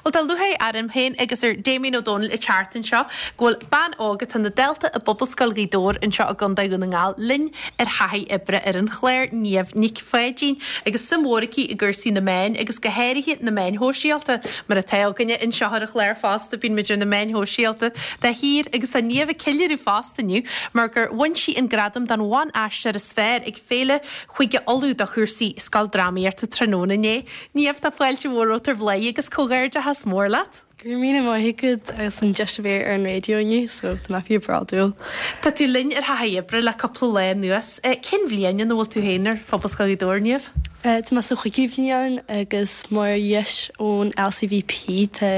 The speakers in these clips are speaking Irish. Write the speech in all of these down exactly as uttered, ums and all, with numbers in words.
Well tá lúcháir orm féin agus ar Damien Ó Dónaill an tseachtain seo go bhfuil bean óg atá ina dalta i bPobalscoil Ghaoth Dobhair anseo i gContae Dhún na nGall linn ar thaithí oibre ar an chlár Niamh Nic Pháidín agus suim mhór aici i gcúrsaí na meán agus go háirithe na meáin shóisialta mar atá againne anseo ar an chlár fosta bíonn muid ar na meáin shóisialta de shíor agus tá Niamh ag ceiliúradh fosta inniu mar gur bhain sí an gradam don bhan-aisteoir is fearr ag Féile Chúige Uladh do chúrsaí scoildrámaíochta tráthnóna inné. Niamh tá fáilte mhór romhat ar Bhladhaire agus comhghairdeachas mór leat. Go raibh míle maith agat agus an deis a bheith ar an raidió inniu, so tá mé fíor bhródúil. Tá tú linn ar thaithí oibre le cúpla lá anuas. Cén bhliain ina bhfuil tú féin ar Phobalscoil Ghaoth Dobhair Niamh? Tá mé sa chúigiú bhliain agus mar dheis ón LCVP tá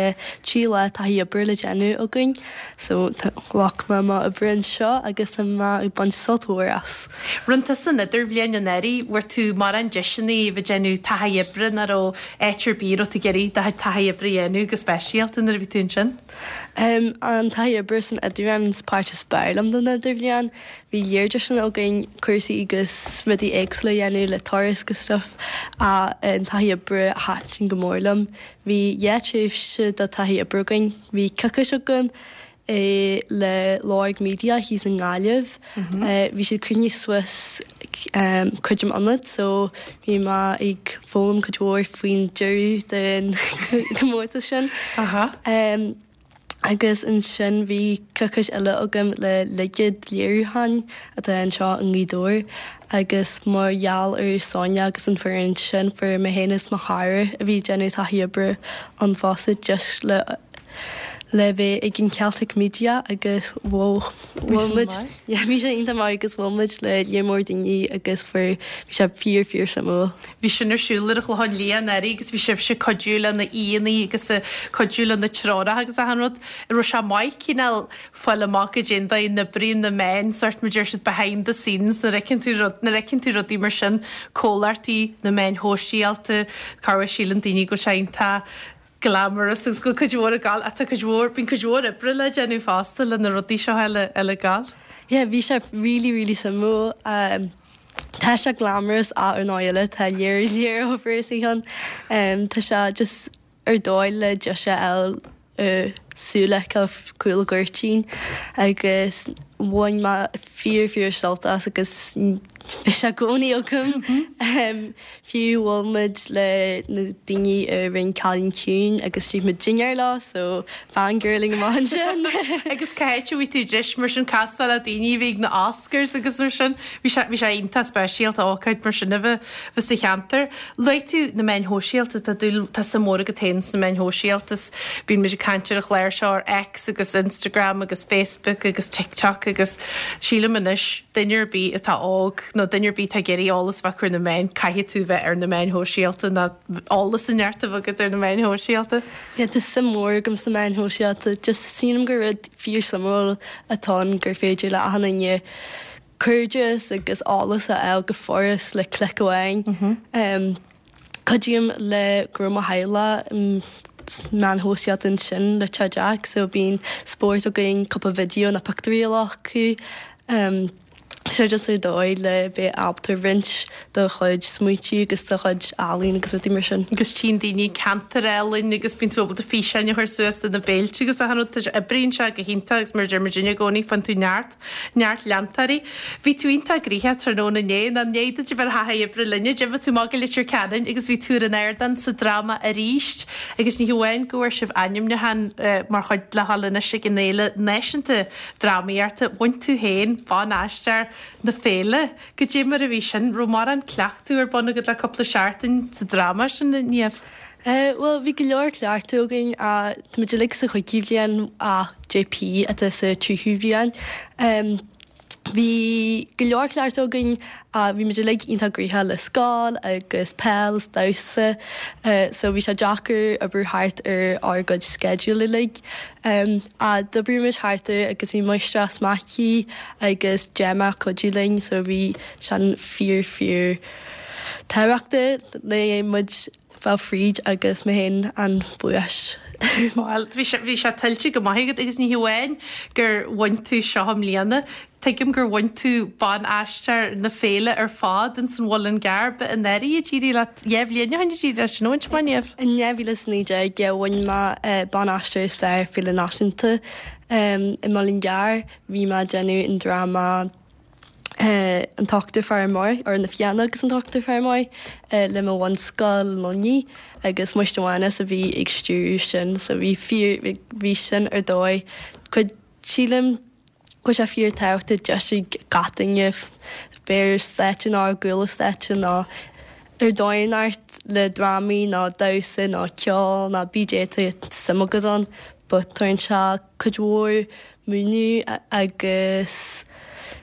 trí lá taithí oibre le déanamh againn, so ghlac mé mo oibre anseo agus tá mé ag baint sult mhór as. Rinne tú san idirbhliain anuraidh, bhfuair tú mórán deiseanna a bheith ag déanamh taithí oibre nach raibh áit ar bith raibh tú ag iarraidh do chuid taithí oibre a dhéanamh go speisialta nuair a bhí tú ansin? Um, an taithí oibre san idirbhliain is páirt is fearr liom den idirbhliain. Bhí lear deiseanna againn cúrsaí agus rudaí éagsúla a dhéanamh le turas agus stuff a an taithí oibre thaitin go mór liom. Bhí dhá tréimhse do taithí oibre againn. Bhí coicís agam é le Lorg Media thíos i nGaillimh. Bhí siad cruinniú suas um, cuid am ionad, so bhí mé ag foghlaim cuid mhór faoin deireadh den comórtas sin. Aha. Um, agus ansin bhí coicís eile agam le Ligead Léiriúcháin atá anseo i nGaoth Dobhair agus mar gheall ar Sonia agus an foireann sin fuair mé féin is mo chara a bhí déanamh taithí oibre an fosta just le le bheith ag an Celtic Media agus bhuail muid bhí sé iontach maith agus bhuail muid le lear mór daoine agus fuair bhí sé fíor fíor suimiúil. Bhí sin ar siúl ar an Chlochán Liath anuraidh agus bhí sibhse cuidiú le na haíonna agus cuidiú le na treoracha agus achan rud. Raibh sé maith cineál fáil amach go dtéann na oibríonn na meáin sort mar deir siad behind the scenes nuair a fheiceann tú rud nuair a fheiceann tú rudaí mar sin comhlachtaí na meáin shóisialta cá síleann daoine go sé iontach glamorous agus go cuid mhór ag gabháil atá cuid mhór bíonn cuid mhór oibre le déanamh fosta le na rudaí seo eile eile gal. Yeah, bhí sé really really suimiúil. Um, Tá sé glamorous a ar ná eile tá lear lear obair istigh ann. Um, tá sé just ar dóigh le deis eil uh, súile cúl gcuirtín agus bhain mé fíor fíor sult as agus bhí sé gcónaí agam um, fiú bhuail muid le na daoine a rinne Cailín Ciúin agus d'ith muid dinnéar leo so fangirling amach sin. Agus céit bhí tú deis mar sin castáil le daoine bhí na Oscars agus mar sin bhí sé bhí sé iontach speisialta ócáid mar sin a bheith bheith sa cheantar. Luaigh tú na meáin shóisialta tá dúil tá suim mór agat féin sna meáin shóisialta bíonn muid ag caint ar an chlár seo ar X agus Instagram agus Facebook agus TikTok agus sílim anois duine ar bith atá óg nó duine ar bith tá ag iarraidh eolas bheith ar na meáin caithfidh tú bheith ar na meáin shóisialta ná eolas an neart a bheith agat ar na meáin shóisialta. Yeah, tá suim mór agam sna meáin shóisialta, just sílim gur rud fíor suimiúil atá ann gur féidir le achan duine cairdeas agus eolas a fháil go furast le clic amháin. Um, Cuidím le gur mo theaghlach meáin shóisialta ansin le Teach Jack, so bíonn spórt againn cúpla video na pictiúirí a ghlacadh. Um, sé just ar dóigh le bheith ábalta roinnt do chuid smaointe agus do chuid ealaín agus rudaí mar sin. Agus tchíonn daoine ceantar ealaín agus bíonn tú ábalta físeáin a chur suas de na béilte agus achan rud tá sé oibríonn sé go hiontach agus mar deir muid i gcónaí faigheann tú neart neart leantóirí. Bhí tú iontach gnoitheach tráthnóna inné ná né duit a bheith thaithí oibre linne, d'imigh tú amach go Leitir Ceanainn agus bhí tú ar an ardán sa dráma arís agus ní hamháin go bhfuair sibh ainmniúchán uh, mar chuid le dhul anois ag an fhéile náisiúnta drámaíochta bhain tú féin ban-aisteoir na féile go dé mar a bhí sin raibh mórán cleachtadh ar bun agat le cúpla seachtain sa dráma sin Niamh. Uh, well, bhí go leor cleachtadh againn a tá muid uilig sa chúigiú bhliain a JP atá sa tríú bhliain. Um, Bhí go leor cleachtadh againn a bhí muid uilig iontach gnoitheach le scoil agus peil is damhsa, uh, so bhí sé deacair obair thart ar ár gcuid schedule uilig. Um, a d'oibrigh muid thart air agus bhí Máistreás Mackey agus Gemma cuidiú linn, so bhí sin fíor fíor tábhachtach le muid fáil fríd agus mé féin an buas Well, bhí sé bhí sé tuillte go maith agat agus ní hamháin gur bhain tú seo i mbliana. Tuigim gur bhain tú ban-aisteoir na féile ar fad in san Mhuileann gCearr anuraidh a d'éirigh leat dhá bhliain ó shin a d'éirigh leat sin bhaint mar Niamh. In dhá mhíle is naoi déag bhain mé ban-aisteoir is fearr Féile Náisiúnta i Muileann gCearr. Bhí mé ag déanamh an dráma an t-ochtar fear amuigh or na Fianna agus an t-ochtar fear amuigh le mo bhunscoil Luinnigh agus Muiste Mhánas a bhí ag stiúradh sin so bhí fíor bhí sin ar dóigh cuid sílim go bhfuil sé fíor tábhachtach deis ag gach duine bheith ar stáitse nó ar gcúl stáitse nó ar dóigh inteacht le drámaí nó damhsa nó ceol nó bídé tá suim agat ann but tugann sé cuid mhór múineadh agus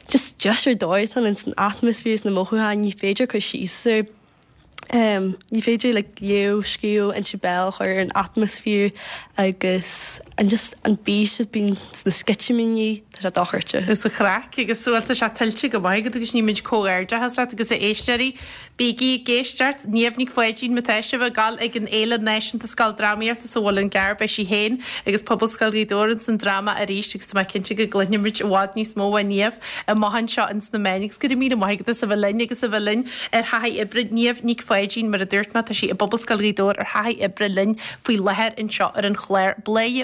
just deis ar dóigh atá ins an atmaisféar is na mothúcháin ní féidir cur síos air. Um, ní féidir like, léamh scríobh inse béil a chur ar an atmaisféar agus an just an bís a bíonn sna sceitimíní tá sé dochreidte. Is a chraic agus bhuel tá sé tuillte go maith agat agus nímid comhghairdeachas leat agus a éisteoirí. Bígí ag éisteacht Niamh Nic Pháidín má tá sibh ag gabháil ag an Fhéile Náisiúnta Scoildrámaíochta sa Mhuileann gCearr beidh sí féin agus Pobalscoil Ghaoth Dobhair ins an dráma arís agus tá mé cinnte go gcluinfimid i bhfad níos mó ó Niamh amach anseo ins na meáin agus go raibh míle maith agat as a bheith linn agus a bheith linn ar thaithí oibre Niamh Nic Pháidín mar a dúirt mé tá sí i bPobalscoil Ghaoth Dobhair ar thaithí oibre linn faoi láthair anseo ar an chlár Bladhaire.